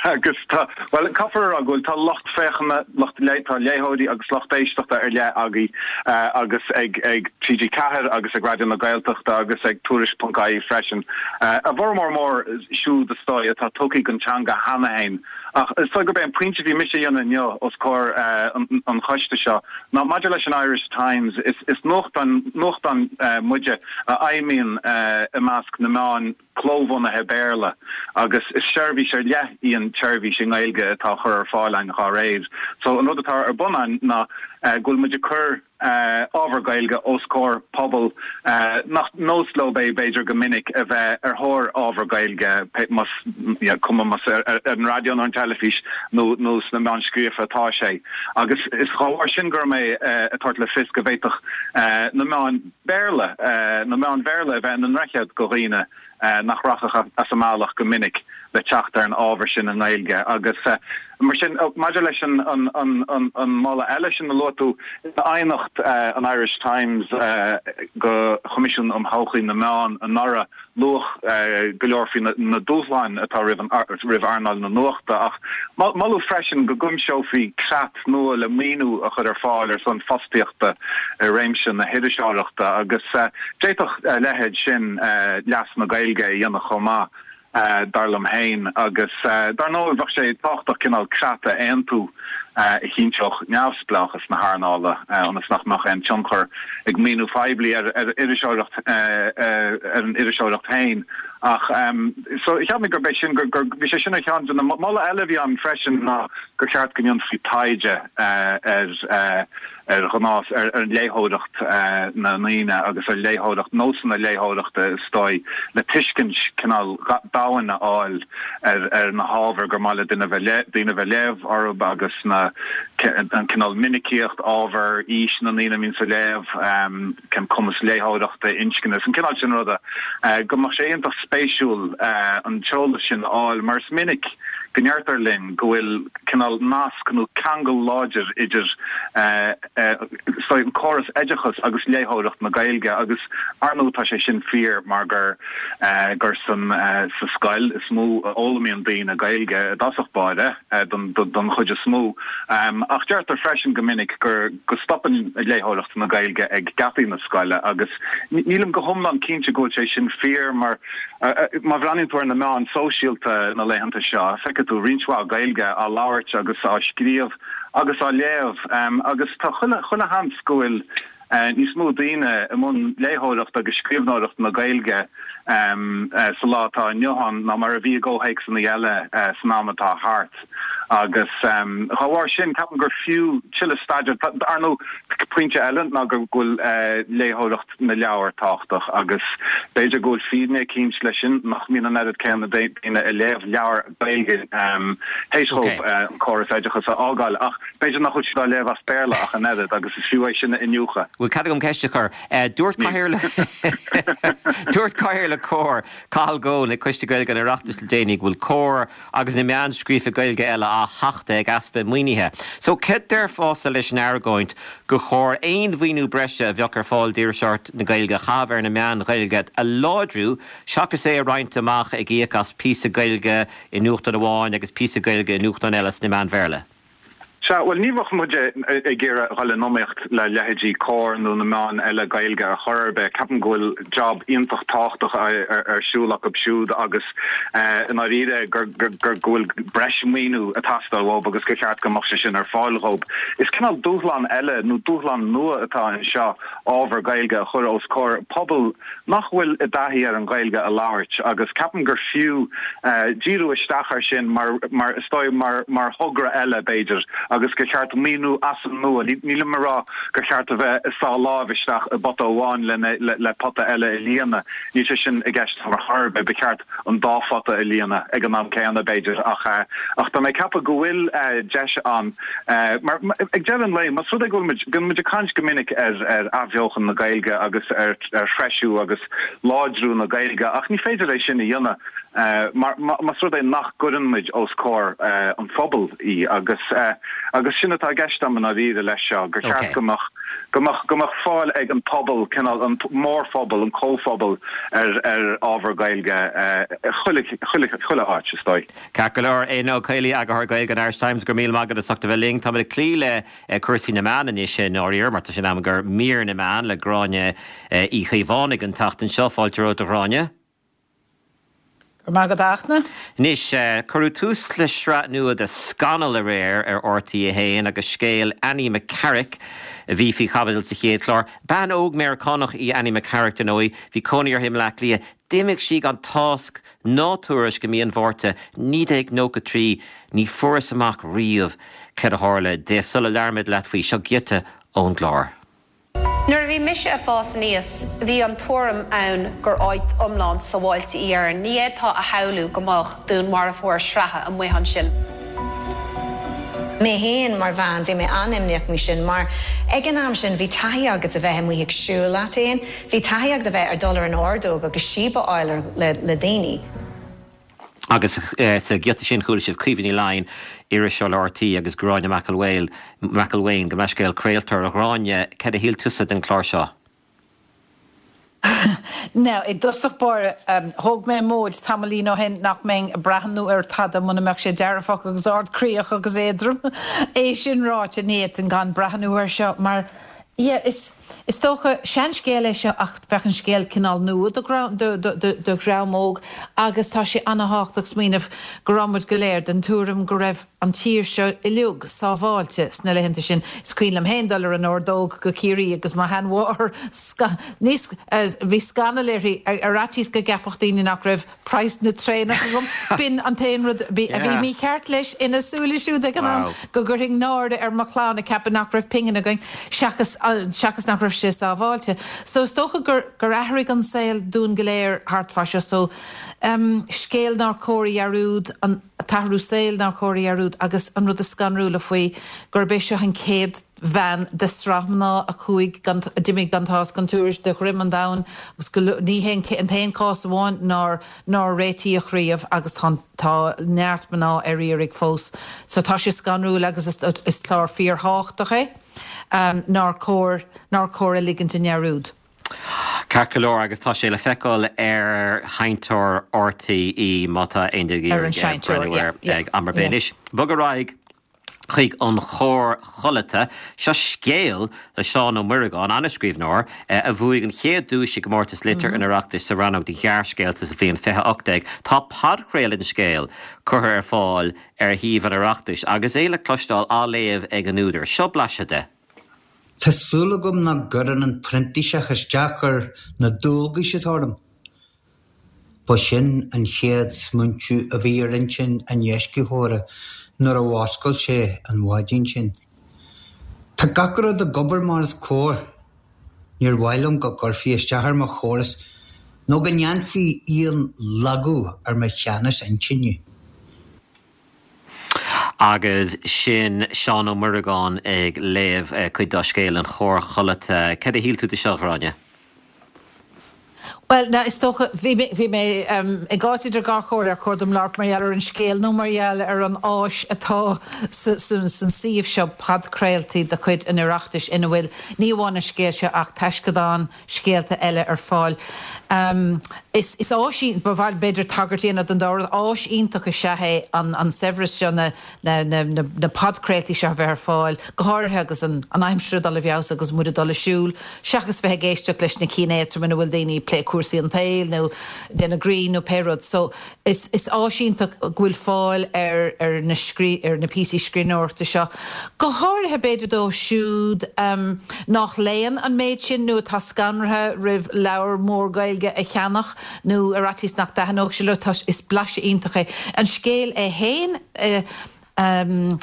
Agus tá, bhuel, caithfear a rá go bhfuil, tá lucht féachana, lucht, tá léitheoirí agus lucht éisteachta ar leith agaibh agus ag ag TG Ceathair agus ag Raidió na Gaeltachta agus ag Tuairisc ponc ie freisin. A bhformhór mór siúd is dóigh atá tugtha don teanga cheana féin. Ach is dóigh gurb é an pointe a bhí mise a dhéanamh inniu os comhair an choiste seo ná maidir leis an Irish Times, is is nuachtán nuachtán muide a fheidhmíonn i measc na meán clóbhunaithe Béarla agus is seirbhís ar leith í an tseirbhís i nGaeilge atá á chur ar fáil againn dá réir. So an rud atá ar bun againn ná go bhfuil muid ag cur ábhar Gaeilge os comhair pobal nach nós leo é b'fhéidir go minic a bheith ar thóir ábhar Gaeilge, más cuma más ar an raidió nó an teilifís nó nó sna meáin scríofa atá sé. Agus is dá bharr sin go raibh mé ag tabhairt le fios go bhféadfadh na meáin Béarla, na meáin Bhéarla a bheith ina ndroichead go dhaoine nach rachadh as a mbealach go minic le teacht ar an ábhar sin i nGaeilge. Agus mar sin, maidir leis an moladh eile sin a luaigh tú, in aighneacht an Irish Times go Choimisiún um Thodhchaí na Meán anuraidh, luadh go leor faoi na dúshláin atá roimh earnáil na nuachta, ach moladh freisin go gcuimseofaí creat nua le maoiniú a chur ar fáil ar son fostaíochta i réimse na hiriseoireachta, agus d'fhéadfadh a leithéid sin leas na Gaeilge a dhéanamh chomh maith, dar liom féin. Agus dar ndóigh bheadh sé tábhachtach cineál creat a aontú a chinnteodh neamhspleáchas na hearnála ionas nach mbeadh aon tionchar ag maoiniú poiblí ar iriseoireacht ar an iriseoireacht féin. Ach so cheap mé gurb é sin gur gur bhí sé sin ar cheann de na moladh eile a bhí ann freisin ná gur cheart go ndéanfaí taighde ar ar ghnás, ar léitheoireacht na ndaoine agus ar léitheoireacht, nósanna léitheoireachta is dóigh, le tuiscint cineál domhain a fháil ar ar na hábhair gur maith le duine bheith daoine bheith léamh orthu agus na an cineál minicíocht ábhair, aois na ndaoine a mbíonns ag léamh, cén cumas léitheoireachta, inscne, is an cineál sin ruda, go mbeadh sé iontach spéisiúil an t-eolas sin a fháil mar is minic go ndeirtear linn go bhfuil cineál nasc nó ceangal láidir idir an córas oideachais agus léitheoireacht na Gaeilge agus ar ndóigh tá sé sin fíor mar gur gur san sa scoil is mó a fhoghlaimíonn daoine Gaeilge i dtosach báire don don chuid is mó. Ach deirtear freisin go minic gur go stopann léitheoireacht na Gaeilge ag geataí na scoile agus nílim go hiomlán cinnte go bhfuil sé sin fíor mar Má bhreathnaíonn tú ar na meáin sóisialta na laethanta seo, feicfidh tú roinnt mhaith Gaeilge á labhairt agus á scríobh agus á léamh agus tá chuile chuile sheans go bhfuil níos mó daoine i mbun léitheoireacht agus scríbhneoireacht na Gaeilge sa lá atá inniu ann ná mar a bhí i gcomhthéacsanna eile san am atá thart. Agus dá bharr sin, ceapaim gur fiú tuilleadh staidéir. Ar ndóigh, pointe eile ná go bhfuil léitheoireacht na leabhar tábhachtach agus b'fhéidir go bhfuil fírinne eicínt leis sin nach mbíonn an oiread céanna daoine ag léamh leabhar Gaeilge théis dóibh an córas oideachais a fhágáil ach b'fhéidir nach bhfuil siad á léamh as Béarla ach an oiread agus is fiú é sin a iniúchadh. Bhfuil cead agam ceist a chur? Dúirt Cathaoirleach Dúirt Cathaoirleach Comhar, Cathal Goan, ag Coiste Gaeilge an Oireachtais le déanaí go bhfuil Comhar agus na meáin scríofa Gaeilge eile á thachtadh ag easpa maoinithe. So céard déarfása leis an argóint gur chóir aon mhaoiniú breise a bheadh ar fáil d'iriseoireacht na Gaeilge a chaitheamh ar na meáin Ghaeilge a láidriú seachas é a roinnt amach ag íoc as píosa Gaeilge i nuachtán amháin agus píosa Gaeilge i nuachtán eile sna meáin Bhéarla? Sea, bhuel, ní bheadh muid ag iarraidh dhul in iomaíocht le leithéidí Comhar nó na meáin eile Gaeilge ar chor ar bith. Ceapaim go bhfuil job iontach tábhachtach ar siúl acu siúd agus i ndáiríre gur go bhfuil breis maoiniú ag teastáil uathu agus gur cheart go mbeadh sé sin ar fáil dhóibh. Is cineál dúshlán eile nó dúshlán nua atá anseo ábhar Gaeilge a chur os comhair pobal nach bhfuil i dtaithí ar an Ghaeilge a labhairt agus ceapaim gur fiú díriú isteach air sin mar mar is dóigh mar mar thogra eile b'fhéidir agus gur cheart maoiniú as an nua, nílim ag rá gur cheart a bheith ag sá lámh isteach i bpota amháin le le pota eile a líonadh, níl sé sin i gceist ar chor ar bith, ba cheart an dá phota a líonadh ag an am céanna b'fhéidir ach ach tá mé ag ceapadh go bhfuil deis ann mar ag deireadh an lae más rud é go bhfuil muid, bíonn muid ag caint go minic ar ar athbheochan na Gaeilge agus ar ar threisiú agus láidriú na Gaeilge ach ní féidir é sin a dhéanamh mar más rud é nach gcuireann muid os comhair an phobail í agus agus sin atá i gceist agam i ndáiríre leis seo, gur cheart go mbeadh go mbeadh go mbeadh fáil ag an pobal, cineál an mórphobal, an comhphobal ar ar ábhar Gaeilge chuile chuile chuile áit, is dóigh. Ceart go leor, Éanna Ó Caollaí, Eagarthóir Gaeilge an Irish Times, go raibh míle maith agat as ucht a bheith linn. Táimid ag cloí le cúrsaí na meán anois i ndáiríre, mar tá sé in am do mhír na meán le Gráinne Uí Chaomhánaigh an tseachtain seo. Fáilte romhat a Ghráinne. Go raibh maith agat a Fhachtna. Anois, cuireadh tús le sraith nua de Scannal aréir ar RTÉ a haon agus scéal Annie McCarrick a bhí faoi chaibidil sa chéad chlár. Bean óg Meiriceánach í Annie McCarrick, dar ndóigh. Bhí cónaí uirthi i mBleá Cliath. D'imigh sí gan tásc ná tuairisc i mí an Mhárta naoi déag nócha trí. Ní fuarthas amach riamh céard a tharla di. Sula labhraímid leat faoi, seo giota ón gclár. Nuair a bhí mise ag fás aníos, bhí an tuairim ann gur áit iomlán sábháilte í Éirinn. Ní fhéadfá a shamhlú go mbeadh dúnmharfóir sraithe amuigh ansin. Mé féin mar bhean, bhí mé an-imníoch faoi sin mar ag an am sin bhí taithí agat a bheith amuigh ag siúl leat féin, bhí taithí agat a bheith ar dul ar an ordóg agus síob a fháil le daoine. Agus sa ghiota sin chuala sibh Caoimhe Ní Laighin, iriseoir le RTÉ agus Gráinne McElwain, McElwain, gabh mo leithscéal, craoltóir. A Ghráinne, céard a shíl tusa den chlár seo? Now, i dtosach báire, thóg mé móid tamaillín ó shin nach mbeinn ag breathnú ar tada muna mbeadh sé dearfach agus ardchroíoch agus éadrom. É sin ráite, ní fhéadfainn gan breathnú air seo mar Yeah, is is dócha, seanscéal é seo ach bheadh an scéal cineál nua do do dhream óg agus tá sé ana-thábhachtach smaoineamh go raibh muid go léir den tuairim go raibh an tír seo uilig sábháilte sna laethanta sin. Is cuimhin liom féin dul ar an ordóg go Ciarraí agus mo sheanmháthair níos bhí scannal uirthi ar fhaitíos go gceapfadh daoine nach raibh praghas na traenach agam. B'in an t-aon rud a bhí mícheart leis ina súile siúd ag an am, go gcuirfinn náire ar mo chlann ag ceapadh nach raibh pingin againn, seachas seachas nach raibh sé sábháilte. So is dócha gur gur athraigh an saol dúinn go léir thart fá seo. So em scéal nár chóir a dhearúd, an t-athrú saoil nár chóir a dhearúd agus an rud is scanrúla faoi gurb é seo an chéad bhean de shraith mná a chuaigh gan, a d'imigh gan tásc gan tuairisc de dhroim an domhain agus go, ní hé an t-aon chás amháin nár, nár réitíodh riamh agus tá, tá neart mná ar iarraidh fós. So tá sé scanrúil agus is, is clár fíorthábhachtach é nár chóir, nár chóir a ligint i ndearúd. Ceart go leor agus tá sé le feiceáil ar sheinnteoir RTÉ má tá aon duine ag Ar an iarraidh seinnteoir, breathnú yeah, air yeah, ag am ar bith. yeah. Anois, bog ar aghaidh chuig an Chóir Chodlata. Seo scéal le Seán Ó Muireagáin, an-scríbhneoir, a bhuaigh an chéad duais i gcomórtas Litir an Oireachtais sa rannóg do ghearrscéalta sa bhliain fiche ocht déag. Tá podchraoladh den scéal curtha ar fáil ar shuíomh an Oireachtais agus é le cloisteáil á léamh ag an údar. Seo blaiseadh de. Tá súil agam nach gcuireann an printíseach isteach ar na dualgais atá orm. Ba sin an chéad smaointiú a bhí ar intinn an dheiscitheora nuair a mhuscail sé an mhaidin sin. Tá gach rud ag obair mar is cóir. Níor mhaith liom go gcuirfí isteach ar mo chóras nó go ndéanfaí aon lagú ar mo cheannas intinne. Agus sin Seán Ó Muireagáin ag léamh cuid dá scéal An Chóir Chodlata. Céard a shíl tú de seo, a Ghráinne? Well, na is dócha bhí mé bhí mé um, i gcás idir dhá chomhairle ar chóir dom labhairt mar gheall ar an scéal nó mar gheall ar an áis atá sa, sa, san suíomh seo podchraoltaí de chuid an Oireachtais ina bhfuil ní amháin an scéal seo ach taisceadán scéalta eile ar fáil. Um, is, is áis ba mhaith b'fhéidir tagairt a dhéanamh don dá rud áis iontach is ea é an, an saibhreas seo na, na, na, na, na podchraoltaí seo a bheith ar fáil, go háirithe agus an, an aimsir ag dul i bhfeabhas agus muid ag dul ag siúl, seachas bheith ag éisteacht leis na cinn éadrom ina bhfuil daoine ag plé cúrsaí an tsaoil nó déanamh grinn nó pé rud. So is, is áis iontach go bhfuil fáil ar, ar na, scrí, ar na píosaí scríbhneoireachta seo. Go háirithe b'fhéidir dóibh siúd um, nach léann an méid sin nó atá scanraithe roimh leabhar mór Gaeilge a cheannach nó ar fhaitíos nach dtaitneodh sé leo tá is blaiseadh iontach é. An scéal é féin uh, um,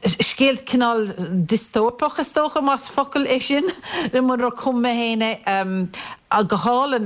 scéal cineál diostóipeach is dócha más focal é sin le munar chum mé féin é um, go hálainn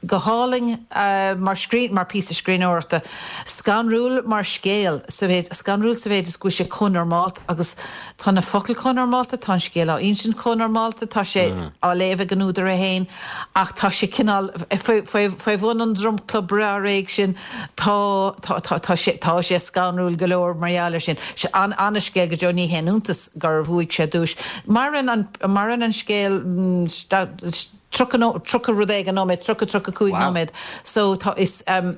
go hálainn uh, mar scrín mar píosa scríbhneoireachta scanrúil mar scéal sa mhéid scanrúil sa mhéid is go bhfuil sé chomh normálta agus tá na focail chomh normálta tá an scéal á insint chomh normálta tá sé mm. á léamh ag an údar é féin ach tá sé cineál faoi bhun an dromchla breá réidh sin tá tá tá tá sé tá sé scanrúil go leor mar gheall air sin sé an an-scéal go deo ní haon iontas gur bhuaigh sé duais maireann an maireann an scéal tríocha rud éigin nóiméad tríocha tríocha cúig nóiméad so tá is um,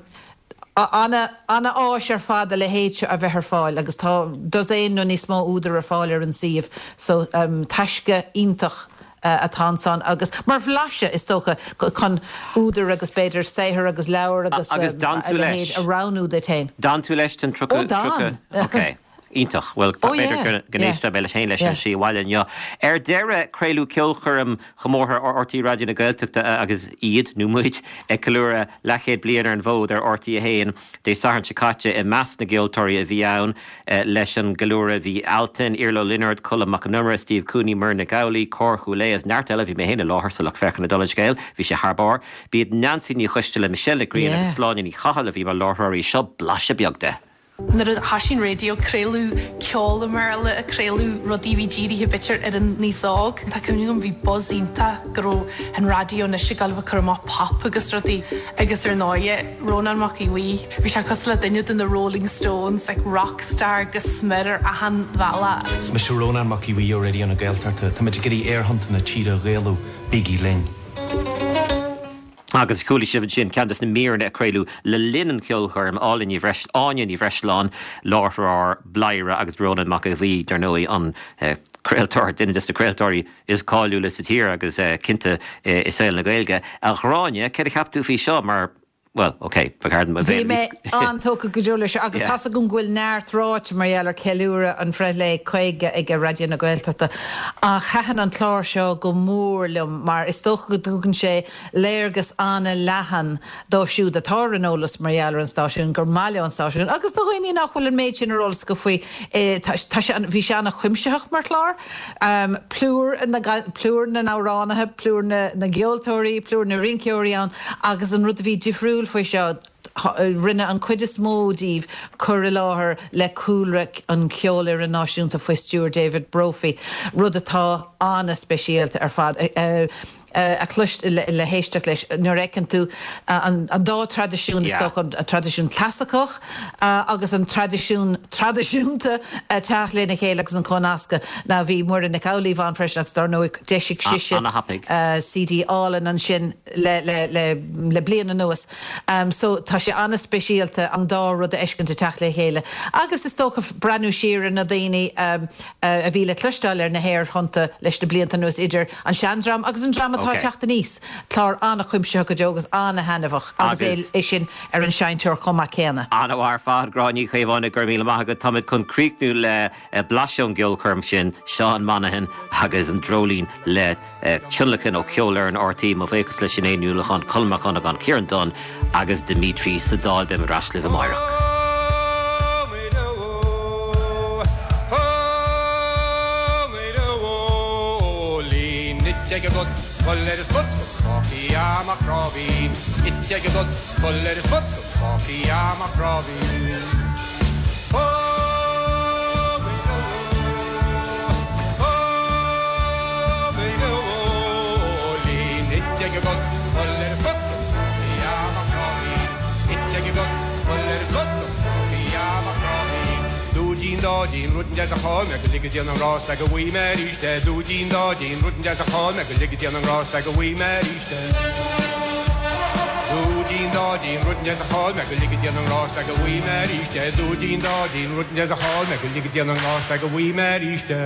ana ana áis ar fad a leithéid seo a bheith ar fáil agus tá dosaen nó níos mó údar ar fáil ar an suíomh so um, taisce iontach uh, atá ansan agus mar bhlaiseadh is dócha chun údar agus b'fhéidir saothar agus leabhar agus agus um, a leithéid a roghnú duit féin. D'fhan tú leis an tríocha Ok. Iontach well b'fhéidir go n-éistfidh mé leis féin leis an sí bhaile inniu. Ar deireadh craoladh ceolchoirm chomórtha ar R T É Raidió na Gaeltachta agus iad nó muid ag ceiliúradh leathchéad bliain ar an bhfód ar R T a haon Dé Sathairn seo caite i measc na gceoltóirí a bhí ann leis an gceiliúradh bhí Altan, Iarla Ó Lionáird, Colm Mac Con Iomaire, Steve Cooney, Muireann Nic Amhlaoibh, Cór Chúil Aodha is neart eile bhí mé féin i láthair sa lucht féachana dála an scéil, bhí sé thar barr. B'iad Neansaí Ní Choisteala, Michelle Nic Grianna agus Sláine Ní Chathail a bhí mar láithreoirí seo blaiseadh beag de. Nuair a thosaigh an raidió craoladh ceol i mBéarla a craoladh rudaí bhí dírithe b'fhéidir ar an aos óg. Tá cuimhne agam bhí buzz iontach go raibh an raidió anois ag gabháil a chur amach pop agus rudaí agus ar ndóigh Rónán Mac Aodha Bhuí, bhí sé cosúil le duine de na Rolling Stones like rockstar go smior ar achan bhealach. Is mise Rónán Mac Aodha Bhuí ó Raidió na Gaeltachta, Tá muid ag iarraidh aerthonnta na tíre a Ghaelú, bígí linn. Agus chuala sibh ansin ceann de na míreanna a craoladh le linn an cheolchoirm Áine Ní Áine Ní Bhreisleáin láithreoir Bladhaire agus Rónán Mac Aodha Bhuí dar ndóigh an eh, craoltóir duine de na craoltóirí is cáiliúla sa tír agus eh, cinnte eh, i saol na Gaeilge. A Ghráinne céard a cheap tú faoi seo mar well, okay, Bhí mé an-tógtha go deo leis agus tá go bhfuil neart ráite mar gheall ar ceiliúradh an bhreithlae caoga ag Raidió na Gaeltachta. Ach thaitin an clár seo go mór liom mar is dócha go dtugann sé léargas an-leathan dóibh siúd atá ar an eolas mar gheall ar an stáisiún gur maith leo an stáisiún agus do dhaoine nach bhfuil an méid sin ar eolas go faoi e, bhí sé an-chuimsitheach mar chlár. Um, plúr na, plúr na n-amhránaithe, plúr na, na gceoltóirí, plúr na rinceoirí ann agus an rud a bhí difriúil faoi seo rinne an chuid is mó díobh cur i láthair le cúlra an Cheolfhoireann Náisiúnta faoi stiúir David Brophy, rud atá an-speisialta ar fad. Uh, a cloist le, le héisteacht leis nuair a fheiceann tú an, an dá traidisiún is dócha an traidisiún clasaiceach uh, agus an traidisiún traidisiúnta uh, teacht lena chéile agus an cónascadh na bhí Muireann Nic Amhlaoibh ann freisin agus dar ndóigh d'eisigh sise uh, C D álainn ansin le, le, le, le bliain anuas. Um, so tá sé an-speisialta an dá rud a fheiscint ag teacht le chéile. Agus is dócha breathnú siar na daoine um, uh, a bhí le cloisteáil ar na haerthonnta leis na blianta anuas idir an seandream agus an dream atá Okay. teacht aníos. Clár an-chuimsitheach go deo agus an-thaitneamhach agus Agus- é sin ar an seinnteoir chomh maith céanna. An-mhaith ar fad Gráinne Ní Chaomhánaigh go raibh míle maith agat táimid chun críochnú le eh, blaiseadh ón gceolchoirm sin Seán Monaghan agus an Dreoilín le eh, tionlacan ó Cheolfhoireann R T É mo bhuíochas le Sinéad Ní Uallacháin Colm Mac Dhonnagáin Ciarán Dunne agus Dimitri sa dáil be ras le amárach. Agat, dá dtín rud deas a chaill mé go lige Dia an grásta go bhfaighidh mé arís é Dúidín dá dtín rud deas a chaill mé go lige Dia an grásta go bhfaighidh mé arís é Dúidín dá dtín rud deas a chaill mé go lige Dia an grásta go bhfaighidh mé arís é Dúidín dá dtín rud deas a chaill mé go lige Dia an grásta go bhfaighidh mé arís é